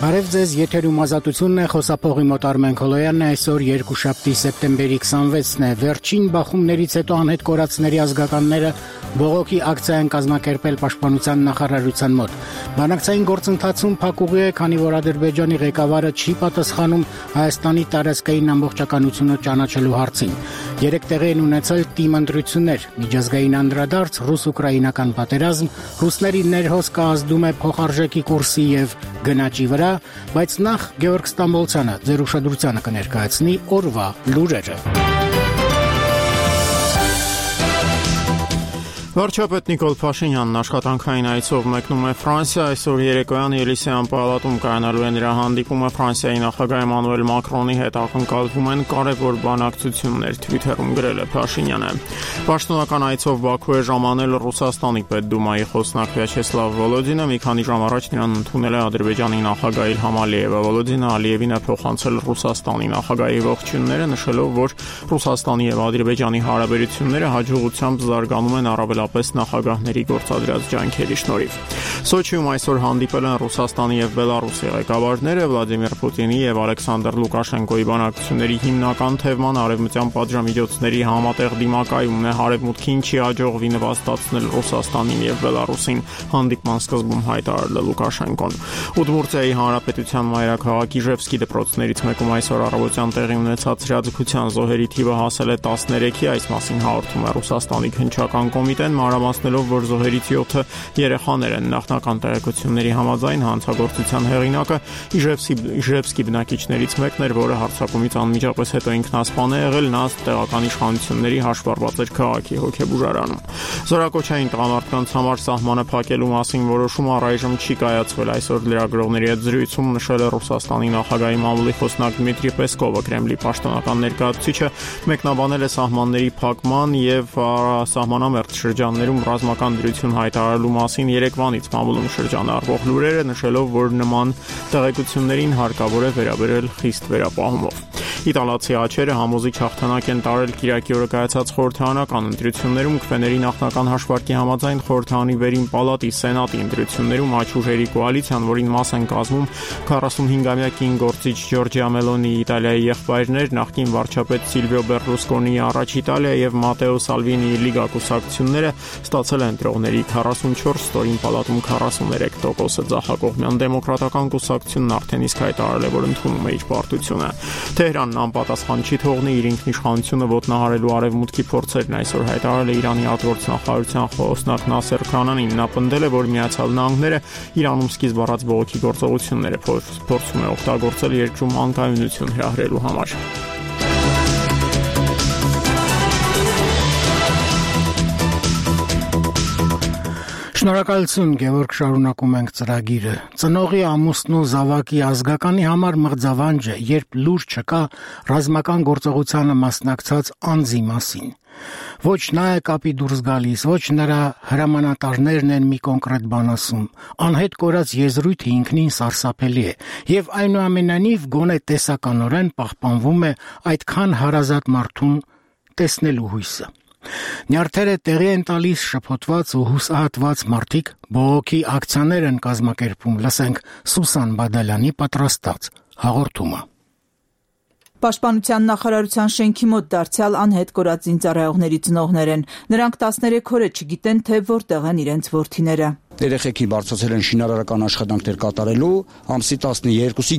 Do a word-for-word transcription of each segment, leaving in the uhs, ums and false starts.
Բարև ձեզ, եթերում ազատությունն է, խոսափողի մոտ Արմեն Քոլոյանն է, այսօր երկուշաբթի սեպտեմբերի քսանվեցն է, վերջին բախումներից հետո անհետ կորածների ազգականները բողոքի ակցիա են կազմակերպել Պաշտպանության նախարարության մոտ։ Բանակցային գործընթացում փակուղի է, քանի որ Ադրբեջանի ղեկավարը չի պատասխանում Հայաստանի տարածքային ամբողջականությունը ճանաչելու հարցին։ Երեք տեղի են ունեցել թիմ ընտրություններ, միջազգային անդրադարձ, ռուս-ուկրաինական պատերազմ, ռուսների ներհոսքը ազդում է փոխարժեքի կուրսի եւ գնաճի վրա, բայց նախ Գևորգ Ստամբոլցյանը ձեր ուշադրությանը կներկայացնի օրվա լուրերը։ Վարչապետ Նիկոլ Փաշինյանն աշխատանքային այցով մեկնում է Ֆրանսիա, այսօր երեկոյան Ելիսեյան պալատում կայանալու է նրա հանդիպումը Ֆրանսիայի նախագահ Էմանուել Մակրոնի հետ ակնկալվում են կարևոր բանակցություններ, Թվիթերում գրել է Փաշինյանը։ Պաշտոնական այցով Բաքու է ժամանել Ռուսաստանի Պետդումայի խոսնակ Վյաչեսլավ Վոլոդինը, մի քանի ժամ առաջ նրան ընդունել է Ադրբեջանի նախագահ Իլհամ Ալիևը։ Վոլոդինը Ալիևին է փոխանցել Ռուսաստանի նախագահի ողջույնները, նշելով, որ Ռուսաստանի եւ Ադրբեջանի հարաբերությունները հաջողությամբ զարգանում են առավել պես նախագահների գործադրած ջանքերի շնորհիվ։ Սոչիում այսօր հանդիպել են Ռուսաստանի եւ Բելարուսի ղեկավարները, Վլադիմիր Պուտինի եւ Ալեքսանդր Լուկաշենկոյի բանակցությունների հիմնական թեման արևմտյան պատժամիջոցների համատեղ դիմակայումն է, հարևմուտքին չի հաջողվի նվաստացնել Ռուսաստանին եւ Բելարուսին, հանդիպման սկզբում հայտարարել է Լուկաշենկոն։ Ուդմուրտիայի հանրապետության մայրաքաղաք Իժևսկի դպրոցներից մեկում այսօր առավոտյան տեղի ունեցած հրաձգության զոհերի թիվը հասել է տասներեքի, այս մասին հաղորդում է Ռուսաստանի քննչական կոմիտեն, մանրամասնելով, որ զոհերից յոթը երեխաներ են։ Նախնական տեղեկությունների համաձայն հանցագործության հեղինակը Իժևսկի Իժևսկի բնակիչներից մեկն էր, որը հարձակումից անմիջապես հետո ինքնասպան է եղել, նա տեղական իշխանությունների հաշվառված էր քաղաքի հոգեբուժարանում։ Զորակոչային տղամարդկանց համար սահմանը փակելու մասին որոշումը առայժմ չի կայացվել, այսօր լրագրողների հետ զրույցում նշել է Ռուսաստանի նախագահի մամուլի խոսնակ Դմիտրի Պեսկովը, Կրեմլի պաշտոնական ներկայացուցիչը մեկնաբանել է սահմանների փակման եւ սահմանամերձ շրջաններում ռազմական դրություն հայտարարելու մասին երեկվանից մամուլում շրջանառվող լուրերը, նշելով, որ նման տեղեկություններին հարկավոր է վերաբերել խիստ վերապահումով։ Իտալացի աչերը համոզիչ հաղթանակ են տարել Կիրակի օրը կայացած խորհրդարանական ընտրություններում, քվեների նախնական հաշվարկի համաձայն խորհրդարանի վերին պալատի սենատի ընտրություններում աչուժերի կոալիցիան, որին մաս են կազմում քառասունհինգամյա կին գործիչ Ջորջիա Մելոնի, Իտալիայի եղբայրներ, նախկին վարչապետ Սիլվիո Բերլուսկոնիի առաջ Իտալիա եւ Մատեո Սալվինիի Լիգա կուսակցությունները ստացել են ընտրողների քառասունչորս, ստորին պալատում քառասուներեք տոկոսը, ձախակողմյան դեմոկրատական կուսակցությունն արդեն իսկ հայտարարել է, որ ընդունում է իր պարտությունը։ Թեհրանն անպատասխան չի թողնի իր ինքնիշխանությունը ոտնահարելու արևմուտքի փորձերն, այսօր հայտարարել է Իրանի արտգործնախարարության խոսնակ Նասեր Քանանին։ Նա պնդել է, որ Միացյալ Նահանգները Իրանում սկիզբ առած բողոքի գործողությունները փորձում է օգտագործել երկրում անկայունություն հրահրելու համար։ Շնորհակալություն, Գևորգ, շարունակում ենք ծրագիրը։ Ծնողի, ամուսնու, զավակի, ազգականի համար մղձավանջ է, երբ լուր չկա ռազմական գործողությանը մասնակցած անձի մասին։ Ոչ նա է կապի դուրս գալիս, ոչ նրա հրամանատարներն են մի կոնկրետ բան ասում։ Անհետ կորած եզրույթը ինքնին սարսափելի է, եւ այնուամենայնիվ գոնե տեսականորեն պահպանվում է այդքան հարազատ մարդուն տեսնելու հույսը։ Նյարդերը տեղի են տալիս շփոթված ու հուսահատված մարդիկ, բողոքի ակցիաներ են կազմակերպում, լսենք Սուսան Բադալյանի պատրաստած հաղորդումը։ Պաշտպանության նախարարության շենքի մոտ դարձյալ անհետ կորած զինծառայողների ծնողներ են։ Նրանք տասներեք օր է չգիտեն, թե որտեղ են իրենց որդիները։ Երեխեքին բարձրացել են շինարարական աշխատանքներ կատարելու ամսի տասներկուսի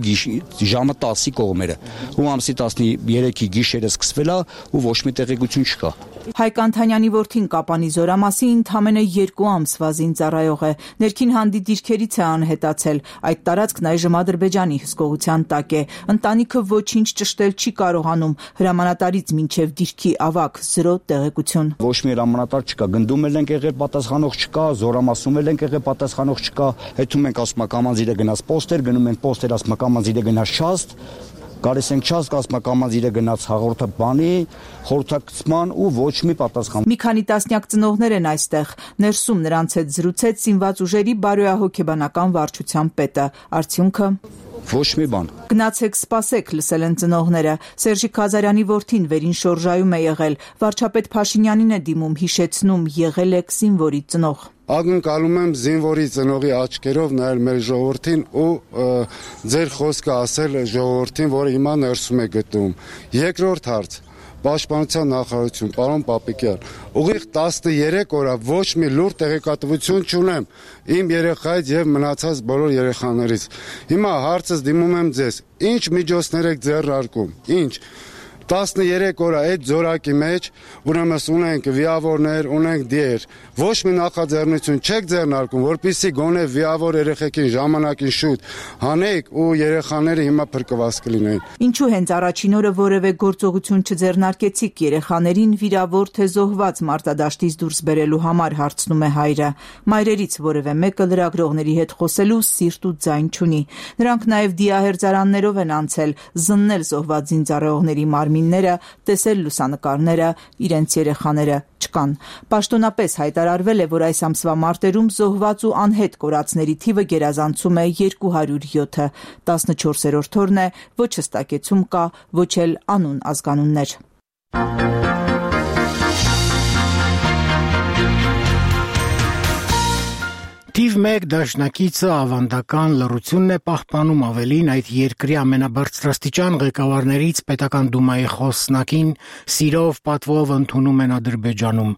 ժամը տասի կողմերը, ու ամսի տասներեքի գիշերը սկսվել է ու ոչ մի տեղեկություն չկա։ Հայկ Անթանյանի որդին Կապանի Զորամասի ընդամենը երկու ամսվա զինծառայող է, ներքին հանդի դիրքերից է անհետացել, այդ տարածքն այժմ Ադրբեջանի հսկողության տակ է, ընտանիքը ոչինչ ճշտել չի կարողանում, հրամանատարից մինչև դիրքի ավագ զրո տեղեկություն։ Ոչ մի հրամանատար չկա, գնդում էլ ենք եղել, պատասխանող չկա, Զորամասում էլ ենք եղել, պատասխանող չկա, հետում ենք ասում կամանձիրը գնաց պոստեր, գնում են պոստեր, ասում կամանձիրը գնաց շաստ, գալիս ենք չասկ, ասում կամանձիրը գնաց հաղորդը բանի, խորհրդակցման ու ոչ մի պատասխան։ Մի քանի տասնյակ ծնողներ են այստեղ, ներսում նրանց հետ զրուցեց զինված ուժերի բարոյահոգեբանական վարչության պետը, արդյունքը Ոչ մի բան։ Գնացեք սպասեք, լսել են ծնողները։ Սերժիկ Ղազարյանի որդին վերին շորժայում է եղել։ Վարչապետ Փաշինյանին է դիմում, հիշեցնում, եղել եք զինվորի ծնող։ Ակնկալում եմ զինվորի ծնողի աչքերով նայել մեր ժողովրդին ու ձեր խոսքը ասել ժողովրդին, որը հիմա ներսում է գտնվում։ Երկրորդ հարց. Պաշտպանության նախարարություն, պարոն Պապիկյան, ուղիղ տասներեք օր ոչ մի լուրջ տեղեկատվություն չունեմ իմ երեխայից եւ մնացած բոլոր երեխաներից։ Հիմա հարցս դիմում եմ ձեզ. ինչ միջոցներ եք ձեռնարկում, ինչ տասներեք օր այդ զորակի մեջ ուրեմն ունենք վիավորներ, ունենք դիեր, ոչ մի նախաձեռնություն չեք ձեռնարկում, որպեսզի գոնե վիավոր երեխեքին ժամանակին շուտ հանեք ու երեխաները հիմա փրկված կլինեն։ Ինչու հենց առաջին օրը որևէ գործողություն չձեռնարկեցիք երեխաներին վիրավոր թե զոհված մարտադաշտից դուրս բերելու համար, հարցնում է հայրը։ Մայրերից որևէ մեկը լրագրողների հետ խոսելու սիրտ ու ձայն չունի։ Նրանք նաև դիահերձարաններով են անցել, զննել զոհված զինծառայողների մարմինները, տեսել լուսանկարները, իրենց երեխաները չկան։ Պաշտոնապես հայտարարվել է, որ այս ամսվա մարտերում զոհված ու անհետ կորածների թիվը գերազանցում է երկու հարյուր յոթը։ տասնչորսերորդ օրն է, ոչ հստակեցում կա, ոչ էլ անուն ազգանուններ։ Թիվ մեկ դաշնակիցը ավանդական լռությունն է պահպանում, ավելին այդ երկրի ամենաբարձրաստիճան ղեկավարներից պետական դումայի խոսնակին սիրով պատվով ընդունում են Ադրբեջանում։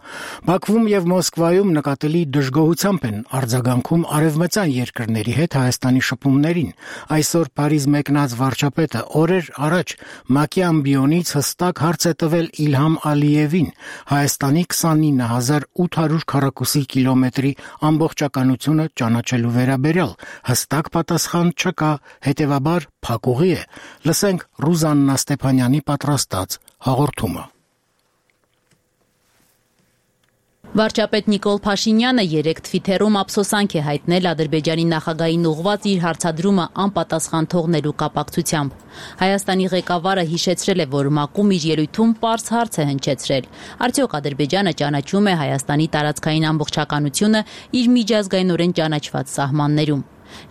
Բաքվում եւ Մոսկվայում նկատելի դժգոհությամբ են արձագանքում արևմտյան երկրների հետ Հայաստանի շփումներին։ Այսօր Փարիզ մեկնած վարչապետը օրեր առաջ ՄԱԿ-ի ամբիոնից հստակ հարց է տվել Իլհամ Ալիևին Հայաստանի քսանինը հազար ութ հարյուր քառակուսի կիլոմետրի ամբողջականություն ճանաչելու վերաբերյալ հստակ պատասխան չկա, հետևաբար փակուղի է։ Լսենք Ռուզաննա Ստեփանյանի պատրաստած հաղորդումը։ Վարչապետ Նիկոլ Փաշինյանը երեկ Թվիթերում ափսոսանք է հայտնել Ադրբեջանի նախագահին ուղղված իր հարցադրումը անպատասխան թողնելու կապակցությամբ։ Հայաստանի ղեկավարը հիշեցրել է, որ ՄԱԿ-ում իր ելույթում պարզ հարց է հնչեցրել. արդյոք Ադրբեջանը ճանաչում է Հայաստանի տարածքային ամբողջականությունը իր միջազգայինորեն ճանաչված սահմաններում։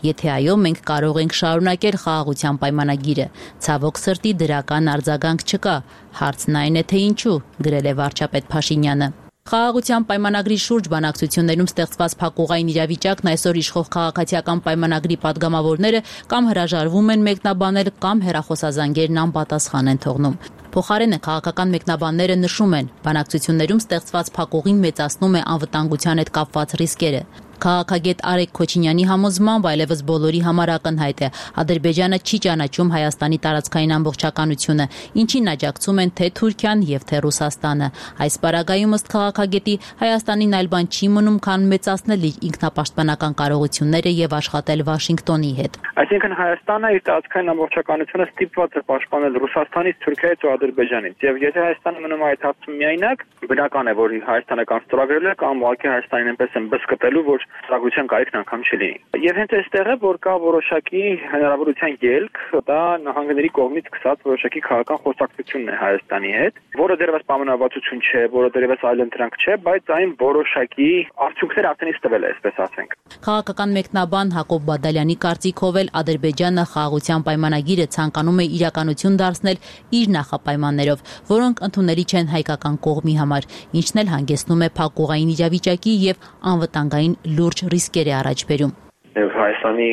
Եթե այո, մենք կարող ենք շարունակել խաղաղության պայմանագիրը։ Ցավոք սրտի դրական արձագանք չկա։ Հարցն այն է, թե ինչու, գրել է վարչապետ Փաշինյանը։ Խաղաղության պայմանագրի շուրջ բանակցություններում ստեղծված փակուղային իրավիճակն այսօր իշխող քաղաքացիական պայմանագրի падգամավորները կամ հրաժարվում են մեկնաբանել, կամ հեռախոսազանգերն անպատասխան են թողնում։ Փոխարենը քաղաքական մեկնաբանները նշում են, բանակցություններում ստեղծված փակուղին մեծացնում է անվտանգության հետ կապված ռիսկերը։ Քաղաքագետ Արեգ Քոչինյանի համոզմամբ այլևս բոլորի համար ակնհայտ է, Ադրբեջանը չի ճանաչում Հայաստանի տարածքային ամբողջականությունը, ինչին աջակցում են թե Թուրքիան եւ թե Ռուսաստանը։ Այս պարագայում ըստ քաղաքագետի Հայաստանին այլ բան չի մնում, քան մեծացնել իր ինքնապաշտպանական կարողությունները եւ աշխատել Վաշինգտոնի հետ։ Այսինքն Հայաստանը իր տարածքային ամբողջականությունը ստիպված է պաշտպանել Ռուսաստանից, Թուրքիայից ու Ադրբեջանից։ Եվ եթե Հայաստանը մնում է այդ հարցում միայնակ, բնական է, որ Հայաստանը կան ստորագրել է կամ ուղղակի Հայաստանին այնպես են բսկտելու, որ Սակության կարիքն անգամ չլինի։ Եվ հենց այստեղ է, որ կա որոշակի հնարավորության ելք, դա նահանգների կողմից սկսած որոշակի քաղաքական խոսակցությունն է Հայաստանի հետ, որը դեռևս պայմանավորվածություն չէ, որը դեռևս այլընտրանք չէ, բայց այն որոշակի արդյունքներ արդեն իսկ տվել է, այսպես ասենք։ Քաղաքական մեկնաբան Հակոբ Բադալյանի կարծիքով էլ Ադրբեջանը խաղաղության պայմանագիրը ցանկանում է իրականություն դարձնել իր նախապայմաններով, որոնք ընդունելի չեն հայկական կողմի համար, ինչն էլ հանգեցնում է փակուղային իրավիճակի եւ անվտանգային լուրջ ռիսկեր է առաջ բերում։ Եվ Հայաստանի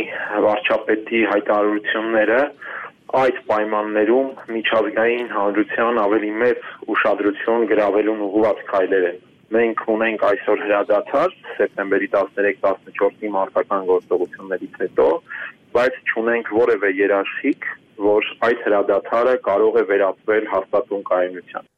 վարչապետի հայտարարությունները այդ պայմաններում միջազգային հանրության ավելի մեծ ուշադրություն գրավելուն ուղղված քայլեր են։ Մենք ունենք այսօր հրադադար սեպտեմբերի տասներեք տասնչորսի մարտական գործողություններից հետո, բայց չունենք որևէ երաշխիք, որ այդ հրադադարը կարող է վերածվել հաստատուն կայունության։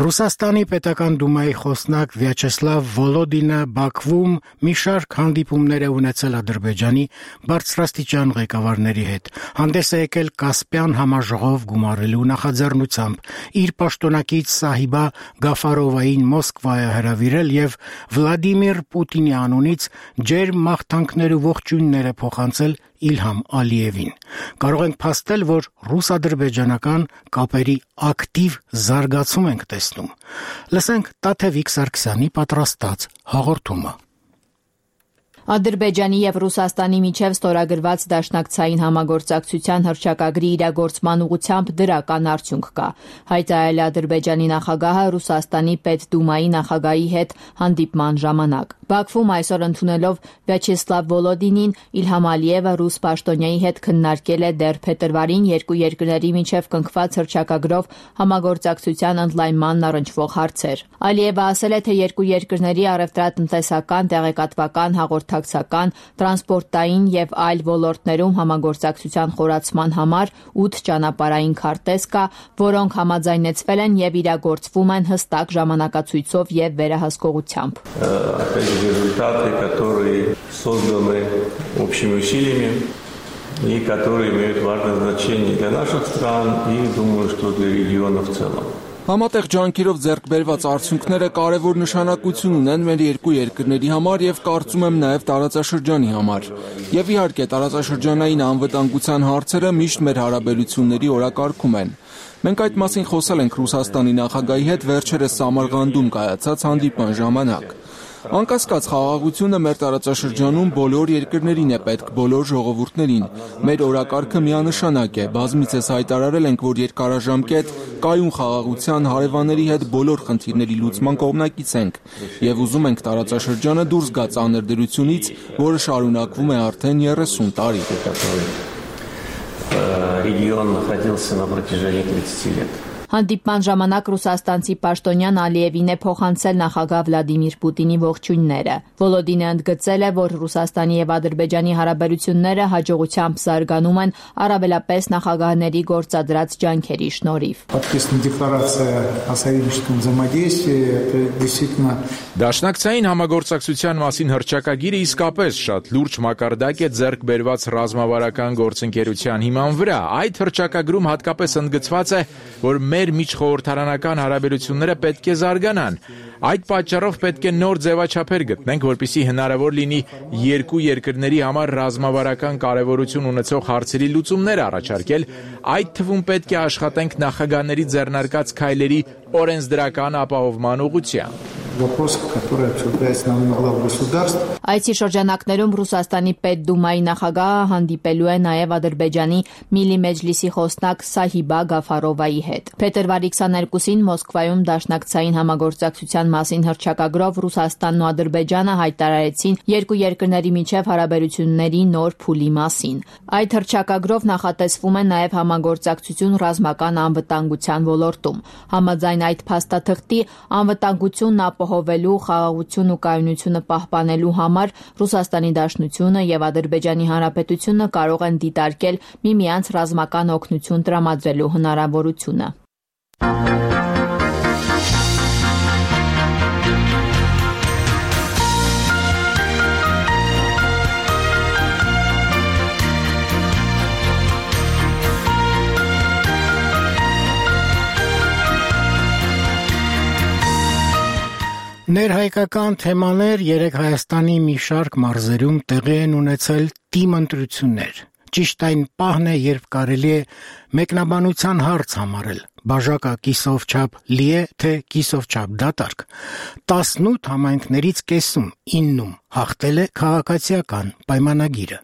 Ռուսաստանի պետական դումայի խոսնակ Վյաչեսլավ Վոլոդինը Բաքվում մի շարք հանդիպումներ է ունեցել Ադրբեջանի բարձրաստիճան ղեկավարների հետ։ Հանդես է եկել Կասպյան համաժողով գումարելու նախաձեռնությամբ, իր պաշտոնակից Սահիբա Գաֆարովային Մոսկվա է հրավիրել եւ Վլադիմիր Պուտինի անունից ջերմ մաղթանքներ ու ողջույններ է փոխանցել Իլհամ Ալիևին։ Կարող ենք փաստել, որ ռուս-ադրբեջանական կապերի ակտիվ զարգացում ենք տեսնում։ Լսենք Տաթևիկ Սարգսյանի պատրաստած հաղորդումը։ Ադրբեջանի եւ Ռուսաստանի միջև ստորագրված դաշնակցային համագործակցության հռչակագրի իրագործման ուղղությամբ դրական արդյունք կա։ Հայտարարել է Ադրբեջանի նախագահը Ռուսաստանի Պետդումայի նախագահի հետ հանդիպման ժամանակ։ Բաքվում այսօր ընդունելով Վյաչեսլավ Վոլոդինին, Իլհամ Ալիևը ռուս պաշտոնյայի հետ քննարկել է դեռ փետրվարին երկու երկրների միջև կնքված հռչակագրով համագործակցության ընդլայնմանն առնչվող հարցեր։ Ալիևը ասել է, թե երկու երկրների առևտրատնտեսական, տեղեկատվական, հաղորդակցական, տրանսպորտային եւ այլ ոլորտներում համագործակցության խորացման համար ութ ճանապարհային քարտեզ կա, որոնք համաձայնեցվել են եւ իրագործվում են հստակ ժամանակացույցով եւ վերահսկողությամբ։ Результаты, которые созданы общими усилиями и которые имеют важное значение для наших стран и, думаю, что для региона в целом. Համատեղ ջանքերով ձեռք բերված արդյունքները կարևոր նշանակություն ունեն մեր երկու երկրների համար եւ կարծում եմ նաեւ տարածաշրջանի համար։ Եվ իհարկե տարածաշրջանային անվտանգության հարցերը միշտ մեր հարաբերությունների օրակարգում են։ Մենք այդ մասին խոսել ենք Ռուսաստանի նախագահի հետ վերջերս Սամարղանդում կայացած հանդիպման ժամանակ։ Անկասկած խաղաղությունը մեր տարածաշրջանում բոլոր երկրներին է պետք, բոլոր ժողովուրդներին։ Մեր օրակարգը միանշանակ է, բազմիցս հայտարարել ենք, որ երկարաժամկետ կայուն խաղաղության հարևանների հետ բոլոր խնդիրների լուծման կողմնակից ենք եւ ուզում ենք տարածաշրջանը դուրս գա ծանր դրությունից, որը շարունակվում է արդեն երեսուն տարի։ Регион находился на протяжении тридцати лет. Հանդիպման ժամանակ ռուսաստանցի պաշտոնյան Ալիևին է փոխանցել նախագահ Վլադիմիր Պուտինի ողջույնները։ Վոլոդինը ընդգծել է, որ Ռուսաստանի եւ Ադրբեջանի հարաբերությունները հաջողությամբ զարգանում են առավելապես նախագահների գործադրած ջանքերի շնորհիվ։ Դաշնակցային համագործակցության մասին հռչակագիրը իսկապես շատ լուրջ մակարդակ է ձեռք բերված ռազմավարական գործընկերության հիման վրա։ Այդ հռչակագրում հատկապես ընդգծված է, որ մեր միջխորհրդարանական հարաբերությունները պետք է զարգանան։ Այդ պատճառով պետք է նոր ձևաչափեր գտնենք, որպեսզի հնարավոր լինի երկու երկրների համար ռազմավարական կարևորություն ունեցող հարցերի լուծումներ առաջարկել, այդ թվում պետք է աշխատենք նախագահների ձեռնարկած քայլերի օրենսդրական ապահովման ուղղությամբ։ Այսի շրջանակներում Ռուսաստանի Պետդումայի նախագահը հանդիպելու է նաև Ադրբեջանի Միլի Մեջլիսի խոսնակ Սահիբա Գաֆարովայի հետ։ Փետրվարի քսաներկուսին Մոսկվայում դաշնակցային համագործակցության մասին հռչակագրով Ռուսաստանն ու Ադրբեջանը հայտարարեցին երկու երկրների միջև հարաբերությունների նոր փուլի մասին։ Այդ հռչակագրով նախատեսվում է նաև համագործակցություն ռազմական անվտանգության ոլորտում։ Համաձայն այդ փաստաթղթի անվտանգությունն ապահովելու, խաղաղություն ու կայունությունը պահպանելու համար Ռուսաստանի Դաշնությունը եւ Ադրբեջանի Հանրապետությունը կարող են դիտարկել միմյանց ռազմական օգնություն տրամադրելու հնարավորությունը։ Ներհայկական թեմաներ երեք Հայաստանի մի շարք մարզերում տեղի են ունեցել թիմ ընտրություններ։ Ճիշտ այն պահն է, երբ կարելի է մեկնաբանության հարց համարել։ Բաժակը կիսով չափ լի է, թե կիսով չափ դատարկ։ տասնութ համայնքներից կեսում, իննում հաղթել է քաղաքացիական պայմանագիրը։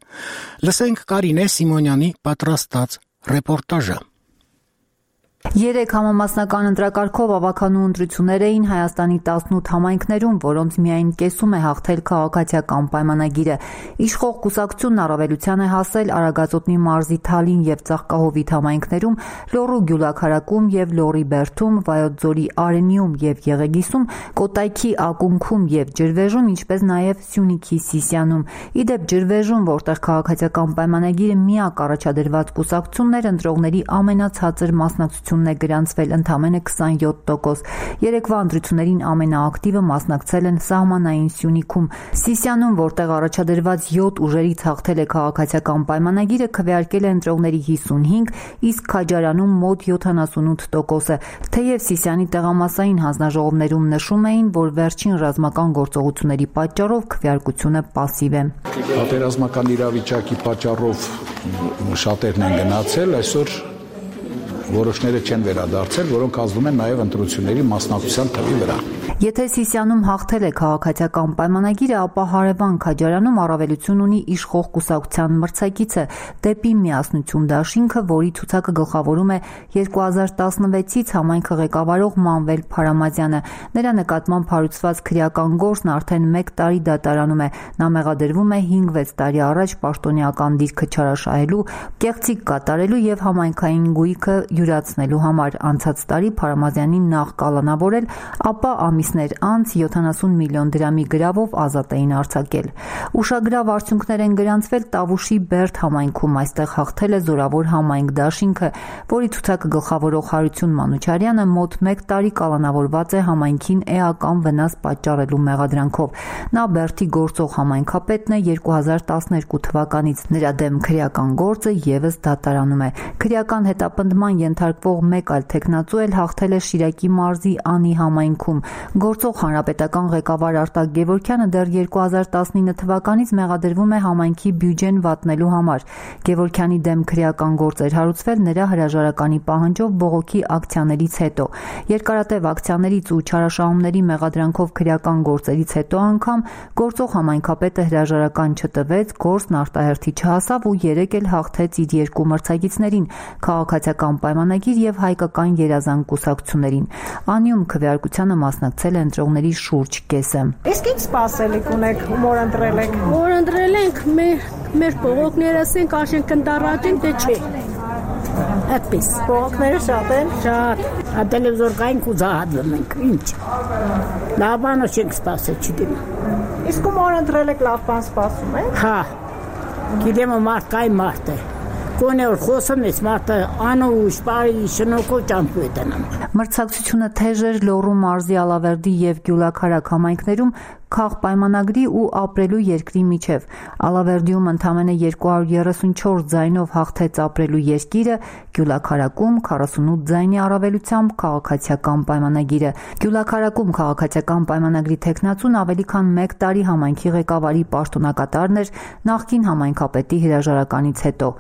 Լսենք Կարինե Սիմոնյանի պատրաստած ռեպորտաժը։ Երեք համամասնական ընտրակարգով ավականու ընտրություններ էին Հայաստանի տասնութ համայնքներում, որոնց միայն կեսում է հաղթել քաղաքացիական պայմանագիրը։ Իշխող կուսակցությունն առավելության է հասել Արագածոտնի մարզի Թալին եւ Ծաղկահովիտ համայնքներում, Լոռու Գյուլաքարակում եւ Լոռի Բերդում, Վայոց ձորի Արենիում եւ Եղեգիսում, Կոտայքի ակունքում եւ Ջրվեժում, ինչպես նաեւ Սյունիքի Սիսիանում։ Իդեպ Ջրվեժում, որտեղ քաղաքացիական պայմանագիրը միակ առաջադրված կուսակցությունն էր, ընտրողների ամենացածր մասնակցությունը մասնակցությունն է գրանցվել ընդամենը քսանյոթ տոկոս։ Երեկվա ընտրություններին ամենաակտիվը մասնակցել են Սահմանային Սյունիքում։ Սիսիանում, որտեղ առաջադրված յոթ ուժերից հաղթել է քաղաքացիական պայմանագիրը, քվեարկել է ընտրողների հիսունհինգ, իսկ Քաջարանում մոտ յոթանասունութ տոկոսը։ Թեև Սիսիանի տեղամասային հանձնաժողովներում նշում էին, որ վերջին ռազմական գործողությունների պատճառով քվեարկությունը պասիվ է։ Պատերազմական իրավիճակի պատճառով շատերն են գնացել, այսօր որոշները չեն վերադարձել, որոնք ազդում են նաև ընտրությունների մասնակցության թվի վրա։ Եթե Սիսիանում հաղթել է քաղաքացիական պայմանագիրը, ապա հարևան Քաջարանում առավելություն ունի իշխող կուսակցության մրցակիցը «Դեպի միասնություն» դաշինքը, որի ցուցակը գլխավորում է երկու հազար տասնվեցից համայնքը ղեկավարող Մանվել Փարամազյանը։ Նրա նկատմամբ հարուցված քրեական գործն արդեն մեկ տարի դատարանում է։ Նա մեղադրվում է հինգ-վեց տարի առաջ պաշտոնեական դիրքը չարաշահելու, կեղծիք կատարելու եւ համայնքային գույքը յուրացնելու համար։ Անցած տարի Փարամազյանին նախ կալանավորել, ապա ամիսներ անց յոթանասուն միլիոն դրամի գրավով ազատ էին արձակել։ Ուշագրավ արդյունքներ են գրանցվել Տավուշի Բերդ համայնքում։ Այստեղ հաղթել է Զորավոր համայնք դաշինքը, որի ցուցակը գլխավորող Հարություն Մանուչարյանը մոտ մեկ տարի կալանավորված է համայնքին էական վնաս պատճառելու մեղադրանքով։ Նա Բերդի գործող համայնքապետն է երկու հազար տասներկու թվականից։ Նրա դեմ քրեական գործը եւս դատարանում է։ Քրեական հետապնդման ենթարկվող մեկ այլ տեխնացու էլ հաղթել է Շիրակի մարզի Անի համայնքում։ Գործող հանրապետական ղեկավար Արտակ Գևորգյանը դեռ երկու հազար տասնինը թվականից մեղադրվում է համայնքի բյուջեն վատնելու համար։ Գևորգյանի դեմ քրեական գործ էր հարուցվել նրա հրաժարականի պահանջով բողոքի ակցիաներից հետո։ Երկարատև ակցիաներից ու չարաշահումների մեղադրանքով քրեական գործերից հետո անգամ գործող համայնքապետը հրաժարական չտվեց, գործն արտահերթի չհասավ ու երեկ էլ հաղթեց իր երկու մրցակիցներին՝ քաղաքացիական պայմանագիր եւ հայկական երազանք կուսակցություններին։ Անիում քվեարկությանը մասնակցել է ընտրողների շուրջ կեսը։ Իսկ ինչ սպասելիք ունեք, ումոր ընտրել եք։ Որ ընտրել ենք, մեր մեր բողոքները ասենք աշեն կնդառաջեն, թե չէ։ Այդպես։ Բողոքները շատ են։ Շատ։ Տելևիզոր կային կուզահատվում ենք։ Ինչ։ Լավ բան չենք սպասել, չգիտեմ։ Իսկ ումոր ընտրել եք, լավ բան սպասում եք։ Հա։ Գիտեմ մարդ կային մարդ է։ Կոնե որ խոսում ես մարդը անուշ, բարի, շնորհքով ճամփու է տնամ։ Մրցակցությունը թեժ էր Լոռու մարզի Ալավերդի եւ Գյուլաքարակ համայնքներում քաղպայմանագրի ու ապրելու երկրի միջև։ Ալավերդիում ընդամենը երկու հարյուր երեսունչորս ձայնով հաղթեց ապրելու երկիրը, Գյուլաքարակում քառասունութ ձայնի առավելությամբ քաղաքացիական պայմանագիրը։ Գյուլաքարակում քաղաքացիական պայմանագրի տեխնացուն ավելի քան մեկ տարի համայնքի ղեկավարի պաշտոնակատարն էր նախկին համայնքապետի հրաժարականից հետո։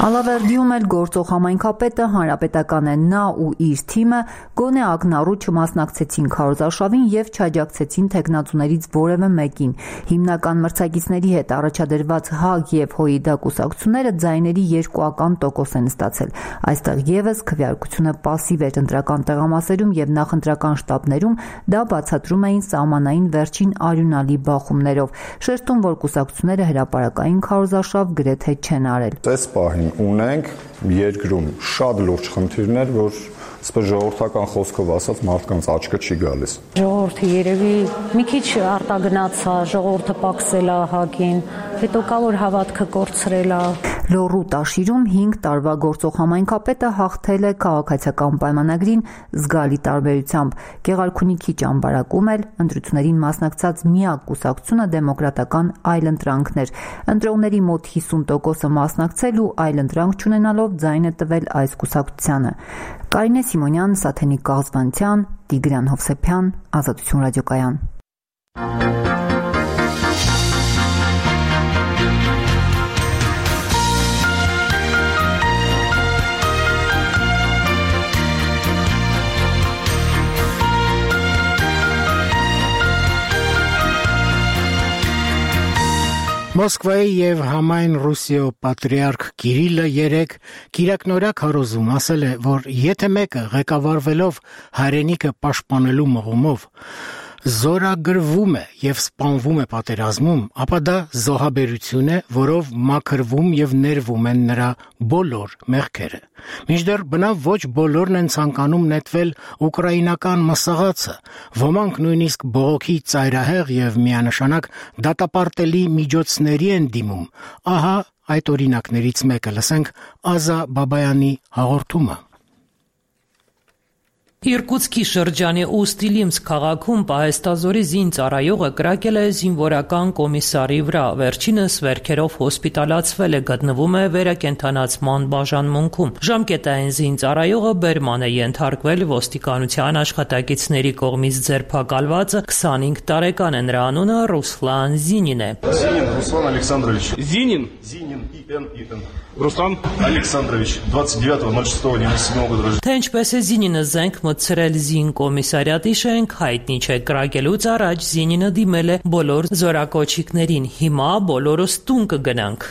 Ալավերդիում էլ գործող համայնքապետը հանրապետական է։ Նա ու իր թիմը գոնե ակնառու չմասնակցեցին քարոզարշավին եւ չաջակցեցին տեխնացուներից որևէ մեկին։ Հիմնական մրցակիցների հետ առաջադրված ՀԱԳ եւ ՀՅԴ կուսակցությունները ձայների երկուական տոկոս են ստացել։ Այստեղ եւս քվեարկությունը պասիվ էր ընտրական տեղամասերում եւ նախընտրական շտաբներում դա բացատրում էին սահմանային վերջին արյունալի բախումներով։ Շեշտում, որ կուսակցությունները հրապարակային քարոզարշավ գրեթե չեն արել։ Այս պահին ունենք երկրում շատ լուրջ խնդիրներ, որ այսպես ժողովրդական խոսքով ասած մարդկանց աչքը չի գալիս։ Ժողովուրդը երևի մի քիչ արտագնացա, ժողովուրդը պակսել է ՀԱԳ-ին, հետո կա որ հավատքը կորցրել է։ Լոռու Տաշիրում հինգ տարվա գործող համայնքապետը հաղթել է քաղաքացիական պայմանագրին զգալի տարբերությամբ։ Գեղարքունիքի ճամբարակում էլ ընտրություններին մասնակցած միակ կուսակցությունը դեմոկրատական այլընտրանքն էր։ Ընտրողների մոտ հիսուն տոկոսը մասնակցել ու այլընտրանք չունենալով ձայն է տվել այս կուսակցությանը։ Կարինե Սիմոնյան, Սաթենիկ Կաղզվանցյան, Տիգրան Հովսեփյան, Ազատություն ռադիոկայան։ Մոսկվայի եւ համայն Ռուսիո պատրիարք Կիրիլը երեկ Կիրակնորակ հարոզում ասել է, որ եթե մեկը ղեկավարվելով հայրենիքը պաշտպանելու մղումով զորագրվում է եւ սպանվում է պատերազմում, ապա դա զոհաբերություն է, որով մաքրվում եւ ներվում են նրա բոլոր մեղքերը։ Մինչդեռ բնավ ոչ բոլորն են ցանկանում նետվել ուկրաինական մսաղացը, ոմանք նույնիսկ բողոքի ծայրահեղ եւ միանշանակ դատապարտելի միջոցների են դիմում։ Ահա այդ օրինակներից մեկը։ Լսենք Ազա Բաբայանի հաղորդումը։ Իրկուտսկի շրջանի Ուստիլիմսկ քաղաքում պահեստազորի զինծառայողը կրակել է զինվորական կոմիսարի վրա։ Վերջինս վերքերով հոսպիտալացվել է, գտնվում է վերակենդանացման բաժանմունքում։ Ժամկետային զինծառայողը բերման է ենթարկվել, ոստիկանության աշխատակիցների կողմից ձերբակալվածը քսանհինգ տարեկան է, նրա անունը Ռուսլան Զինին է։ Զինին Ռուսլան Ալեքսանդрович։ Զինին Զինին Իտեն Իտեն Ռուստամ Ալեքսանդрович двадцать девятого ноль шестого девяносто седьмого года рождения։ Թե ինչպես է Զինինը զենք մտցրել զին կոմիսարիատի շենք, հայտնի չէ։ Կրակելուց առաջ Զինինը դիմել է բոլոր զորակոչիկներին։ Հիմա բոլորս տուն կգնանք։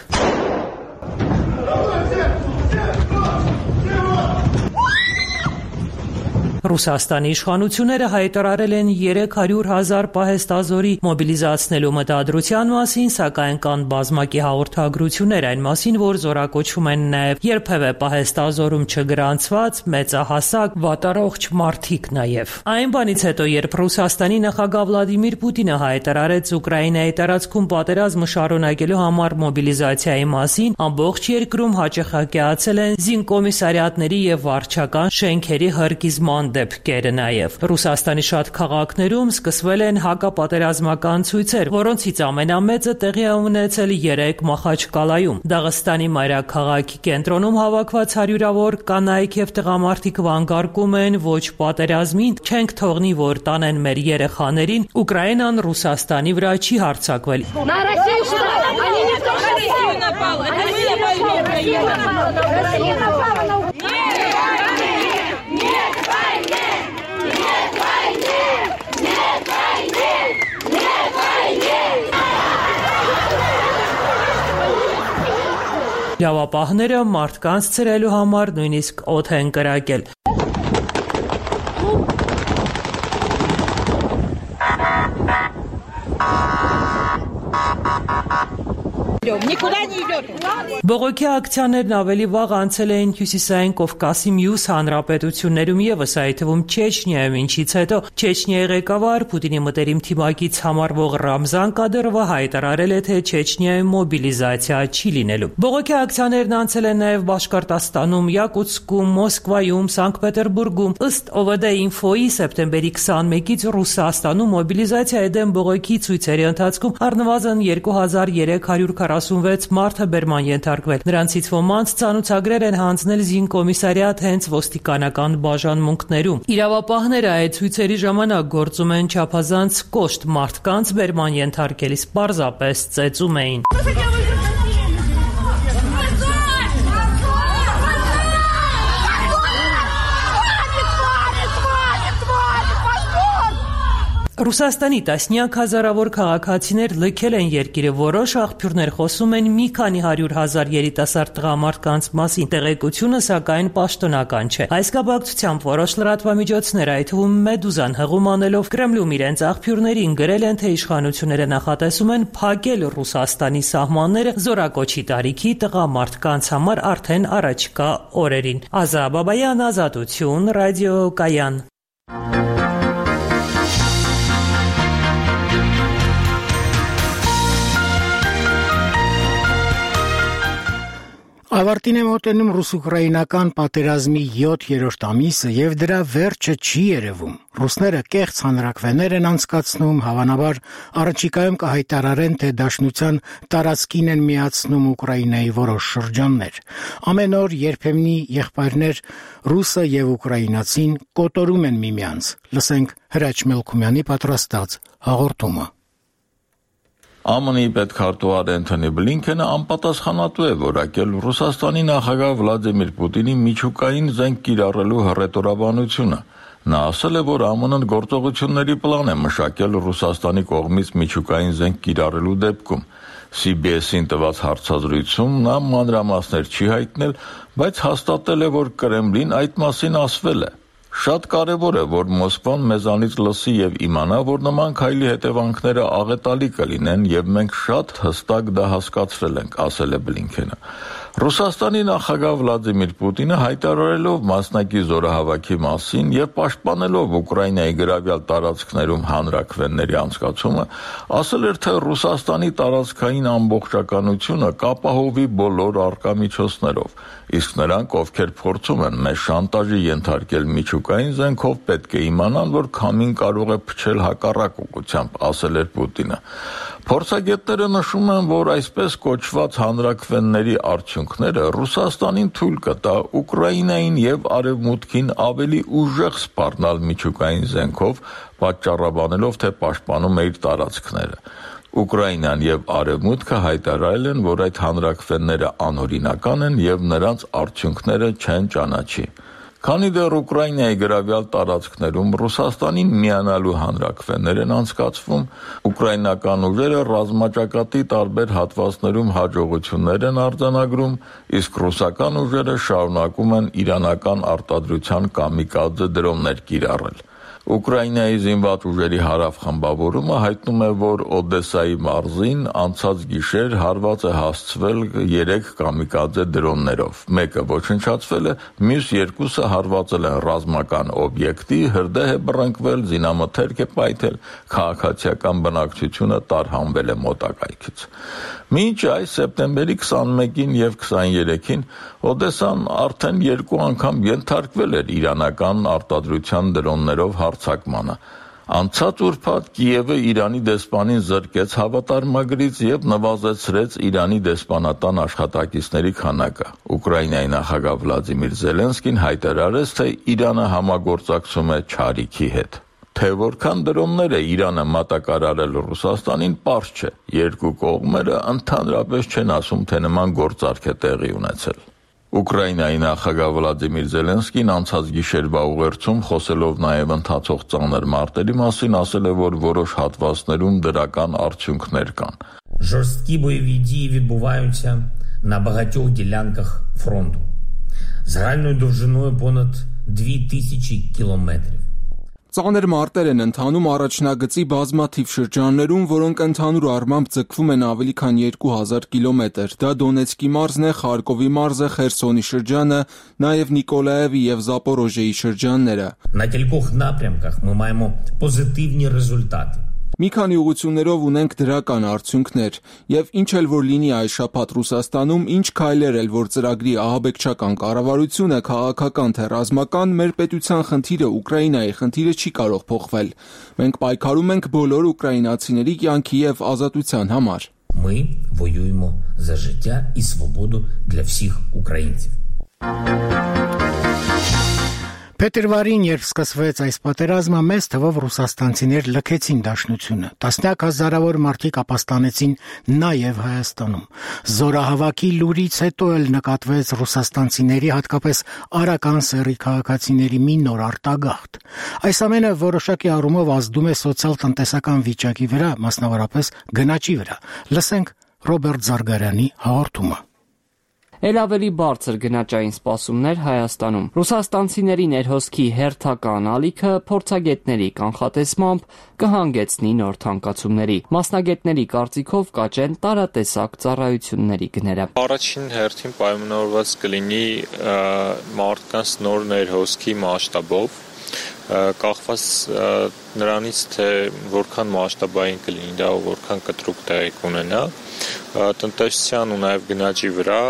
Ռուսաստանի իշխանությունները հայտարարել են երեք հարյուր հազար պահեստազորի մոբիլիզացնելու մտադրության մասին, սակայն կան բազմակի հաղորդագրություններ այն մասին, որ զորակոչում են նաև երբևէ պահեստազորում չգրանցված մեծահասակ վատառողջ մարդիկ նաև։ Այն բանից հետո, երբ Ռուսաստանի նախագահ Վլադիմիր Պուտինը հայտարարեց Ուկրաինայի տարածքում պատերազմը շարունակելու համար մոբիլիզացիայի մասին, ամբողջ երկրում հաճախակիացել են զինկոմիսարիատների եւ վարչական շենքերի հրկիզման դեպքերը նաև։ Ռուսաստանի շատ քաղաքներում սկսվել են հակապատերազմական ցույցեր, որոնցից ամենամեծը տեղի է ունեցել երեկ Մախաչկալայում։ Դաղստանի մայրաքաղաքի կենտրոնում հավաքված հարյուրավոր կանայք եւ տղամարդիկ վանկարկում են ոչ պատերազմին, չենք թողնի, որ տանեն մեր երեխաներին, Ուկրաինան Ռուսաստանի վրա չի հարձակվել։ Լավապահները մարդկանց ցրելու համար նույնիսկ օդ են կրակել։ Բողոքի ակցիաներն ավելի վաղ անցել էին Հյուսիսային Կովկասի մյուս հանրապետություններում ևս, այդ թվում Չեչնիայում, ինչից հետո Չեչնիայի ղեկավար Պուտինի մտերիմ թիմակից համարվող Ռամզան Կադիրովը հայտարարել է, թե Չեչնիայում մոբիլիզացիա չի լինելու։ Բողոքի ակցիաներն անցել են նաև Բաշկորտոստանում, Յակուտսկում, Մոսկվայում, Սանկտ Պետերբուրգում։ Ըստ Օ V D-Info-ի սեպտեմբերի քսանմեկից Ռուսաստանում մոբիլիզացիայի դեմ բողոքի ցույցերի ընթացքում առնվազն երկու հազար երեք հարյուր քառասունվեց մարդ է բերման ենթարկվել։ Նրանցից ոմանց ցանուցագրեր են հանձնել զինկոմիսարիատ հենց ոստիկանական բաժանմունքներում։ Իրավապահները այդ ցույցերի ժամանակ գործում են չափազանց կոշտ, մարդկանց բերման ենթարկելիս պարզապես ծեծում էին։ Ռուսաստանի տասնյակ հազարավոր քաղաքացիներ լքել են երկիրը, որոշ աղբյուրներ խոսում են մի քանի հարյուր հազար երիտասարդ տղամարդկանց մասին, տեղեկությունը սակայն պաշտոնական չէ։ Այս կապակցությամբ որոշ լրատվամիջոցներ, այդ թվում Մեդուզան հղում անելով Կրեմլում իրենց աղբյուրներին գրել են, թե իշխանությունները նախատեսում են փակել Ռուսաստանի սահմանները զորակոչի տարիքի տղամարդկանց համար արդեն առաջիկա օրերին։ Ազա Բաբայան, Ազատություն, Ռադիո Կայան։ Ավարտին է մոտենում ռուս-ուկրաինական պատերազմի յոթերորդ ամիսը եւ դրա վերջը չի երևում։ Ռուսները կեղծ հանրաքվեներ են անցկացնում, հավանաբար առաջիկայում կհայտարարեն, թե դաշնության տարածքին են միացնում Ուկրաինայի որոշ շրջաններ։ Ամեն օր երբեմնի եղբայրներ ռուսը եւ ուկրաինացին կոտորում են միմյանց։ Լսենք Հրաչ Մելքումյանի պատրաստած հաղորդումը։ Է Մ Ն-ի պետքարտուղար Էնթոնի Բլինքենը անպատասխանատու է որակել Ռուսաստանի նախագահ Վլադիմիր Պուտինի միջուկային զենք կիրառելու հռետորաբանությունը։ Նա ասել է, որ Է Մ Ն-ն գործողությունների պլան է մշակել Ռուսաստանի կողմից միջուկային զենք կիրառելու դեպքում։ C B S-ին տված հարցազրույցում նա մանրամասներ չի հայտնել, բայց հաստատել է, որ Կրեմլին այդ մասին ասվել է։ Շատ կարևոր է, որ Մոսկվան մեզանից լսի եւ իմանա, որ նման քայլի հետևանքները աղետալի կլինեն եւ մենք շատ հստակ դա հասկացրել ենք, ասել է Բլինքենը։ Ռուսաստանի նախագահ Վլադիմիր Պուտինը հայտարարելով մասնակի զորահավաքի մասին եւ պաշտպանելով Ուկրաինայի գրավյալ տարածքներում հանրաքվեների անցկացումը, ասել էր, թե Ռուսաստանի տարածքային ամբողջականությունը կապահովի բոլոր առկա միջոցներով, իսկ նրանք, ովքեր փորձում են մեզ շանտաժի ենթարկել միջուկային զենքով, պետք է իմանան, որ քամին կարող է փչել հակառակ ուղղությամբ, ասել էր Պուտինը։ Փորձագետները նշում են, որ այսպես կոչված հանրաքվեների արդյունքները Ռուսաստանին թույլ կտա Ուկրաինային եւ Արևմուտքին ավելի ուժեղ սպառնալ միջուկային զենքով, պատճառաբանելով, թե պաշտպանում է իր տարածքները։ Ուկրաինան եւ Արևմուտքը հայտարարել են, որ այդ հանրաքվեները անօրինական են եւ նրանց արդյունքները չեն ճանաչի։ Քանի դեռ Ուկրաինայի գրավյալ տարածքներում Ռուսաստանին միանալու հանրաքվեներ են անցկացվում, ուկրաինական ուժերը ռազմաճակատի տարբեր հատվածներում հաջողություններ են արձանագրում, իսկ ռուսական ուժերը շարունակում են իրանական արտադրության կամիկաձե դրոններ կիրառել։ Ուկրաինայի զինված ուժերի հարավխմբավորումը հայտնում է, որ Օդեսայի մարզին անցած գիշեր հարված է հասցվել երեք կամիկաձե դրոններով։ Մեկը ոչնչացվել է, մյուս երկուսը հարվածել են ռազմական օբյեկտի, հրդեհ է բռնկվել, զինամթերք է պայթել, քաղաքացիական բնակչությունը տարհանվել է մոտակայքից։ Մինչ այս սեպտեմբերի քսանմեկին եւ քսաներեքին Օդեսան արդեն երկու անգամ ենթարկվել էր իրանական արտադրության դրոններով հարձակմանը։ Անցած ուրբաթ Կիևը Իրանի դեսպանին զրկեց հավատարմագրից եւ նվազեցրեց Իրանի դեսպանատան աշխատակիցների քանակը։ Ուկրաինայի նախագահ Վլադիմիր Զելենսկին հայտարարեց, թե Իրանը համագործակցում է Չարիքի հետ։ Թե որքան դրոններ է Իրանը մատակարարել Ռուսաստանին, պարզ չէ։ Երկու կողմերը ընդհանրապես չեն ասում, թե նման գործարք է տեղի ունեցել։ Ուկրաինայի նախագահ Վլադիմիր Զելենսկին անցած գիշերվա ուղերձում, խոսելով նաև ընթացող ծանր մարտերի մասին, ասել է, որ որոշ հատվածներում դրական արդյունքներ կան։ Жорсткі бойові дії відбуваються на багатьох ділянках фронту. Загальною довжиною понад дві тисячі кілометрів. Ծանր մարտեր են ընթանում առաջնագծի բազմաթիվ շրջաններում, որոնք ընդհանուր առմամբ ձգվում են ավելի քան երկու հազար կիլոմետր։ Դա Դոնեցկի մարզն է, Խարկովի մարզը, Խերսոնի շրջանը, նաև Նիկոլաևի եւ Զապորոժիեի շրջանները։ На кількох напрямках ми маємо позитивні результати. Մի քանի ուղղություններով ունենք դրական արդյունքներ, եւ ինչ էլ որ լինի այս շաբաթ Ռուսաստանում, ինչ քայլեր էլ որ ծրագրի ահաբեկչական կառավարությունը, քաղաքական թե ռազմական, մեր պետության խնդիրը, Ուկրաինայի խնդիրը չի կարող փոխվել։ Մենք պայքարում ենք բոլոր ուկրաինացիների կյանքի եւ ազատության համար։ Ми воюємо за життя і свободу для всіх українців. Փետրվարին, երբ սկսվեց այս պատերազմը, մեծ թվով ռուսաստանցիներ լքեցին դաշնությունը։ Տասնյակ հազարավոր մարդիկ ապաստանեցին նաև Հայաստանում։ Զորահավաքի լուրից հետո էլ նկատվեց ռուսաստանցիների, հատկապես արական սեռի քաղաքացիների մի նոր արտագաղթ։ Այս ամենը որոշակի առումով ազդում է սոցիալ-տնտեսական վիճակի վրա, մասնավորապես գնաճի վրա։ Լսենք Ռոբերտ Զարգարյանի հաղորդումը։ Էլ ավելի բարձր գնաճային սպասումներ Հայաստանում։ Ռուսաստանցիների ներհոսքի հերթական ալիքը փորձագետների կանխատեսմամբ կհանգեցնի նոր թանկացումների։ Մասնագետների կարծիքով կաճեն տարատեսակ ծառայությունների գները։ Առաջին հերթին պայմանավորված կլինի մարդկանց նոր ներհոսքի մասշտաբով, կախված նրանից, թե որքան մասշտաբային կլինի դա ու որքան կտրուկ տեղի կունենա, տնտեսության ու նաև գնաճի վրա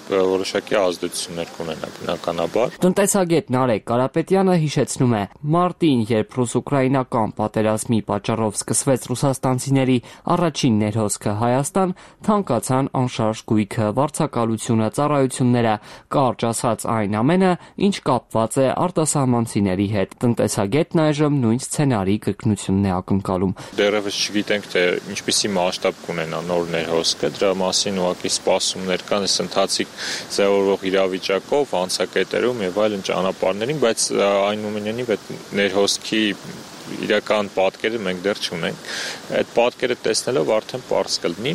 որոշակի ազդեցություններ կունենա բնականաբար։ Տնտեսագետ Նարեկ Կարապետյանը հիշեցնում է, մարտին, երբ ռուս-ուկրաինական պատերազմի պատճառով սկսվեց ռուսաստանցիների առաջին ներհոսքը Հայաստան, թանկացան անշարժ գույքը, վարձակալությունը, ծառայությունները, կարճ ասած այն ամենը, ինչ կապված է արտասահմանցիների հետ։ Տնտեսագետն այժմ նույն սցենարի կրկնությունն է ակնկալում։ Դեռևս չգիտենք, թե ինչպիսի մասշտաբ կունենա նոր ներհոսքը, դրա մասին ուղղակի սպասումներ կան, այս ընթացիկ ձևավորվող իրավիճակով, անցակետերում եւ այլն ճանապարհներին, բայց այնուամենայնիվ այդ ներհոսքի իրական պատկերը մենք դեռ չունենք։ Այդ պատկերը տեսնելով արդեն պարզ կլինի,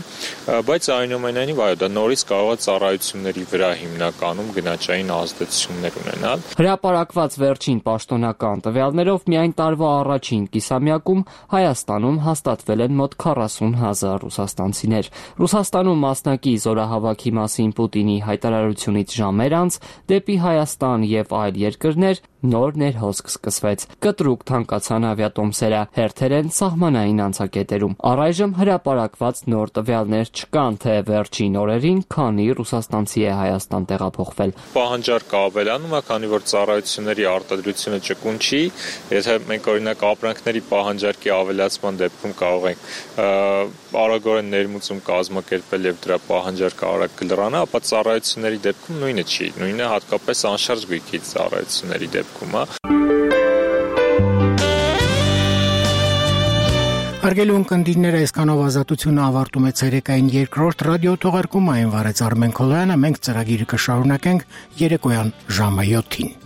բայց այնուամենայնիվ այո, դա նորից կարող է ծառայությունների վրա հիմնականում գնաճային ազդեցություններ ունենալ։ Հրապարակված վերջին պաշտոնական տվյալներով միայն տարվա առաջին կիսամյակում Հայաստանում հաստատվել են մոտ քառասուն հազար ռուսաստանցիներ։ Ռուսաստանում մասնակի զորահավաքի մասին Պուտինի հայտարարությունից ժամեր անց դեպի Հայաստան եւ այլ երկրներ նոր ներհոսք սկսվեց։ Կտրուկ թանկացան ավիատոմսերը, հերթեր են սահմանային անցակետերում։ Առայժմ հրապարակված նոր տվյալներ չկան, թե վերջին օրերին քանի ռուսաստանցի է Հայաստան տեղափոխվել։ Պահանջարկը ավելանում է, քանի որ ծառայությունների արտադրությունը ճկուն չի, եթե մենք օրինակ ապրանքների պահանջարկի ավելացման դեպքում կարող ենք արագորեն ներմուծում կազմակերպել եւ դրա պահանջարկը արագ կլրանա, ապա ծառայությունների դեպքում նույնը չի, նույնը հատկապես անշարժ գույքի ծառայությունների դեպքում, հա։ Հարգելի ունկնդիրներ, այսքանով ազատությունը ավարտում է ցերեկային երկրորդ ռադիո թողարկումը, այն վարեց Արմեն Քոլոյանը, մենք ծրագիրը կշարունակենք երեկոյան ժամը յոթին։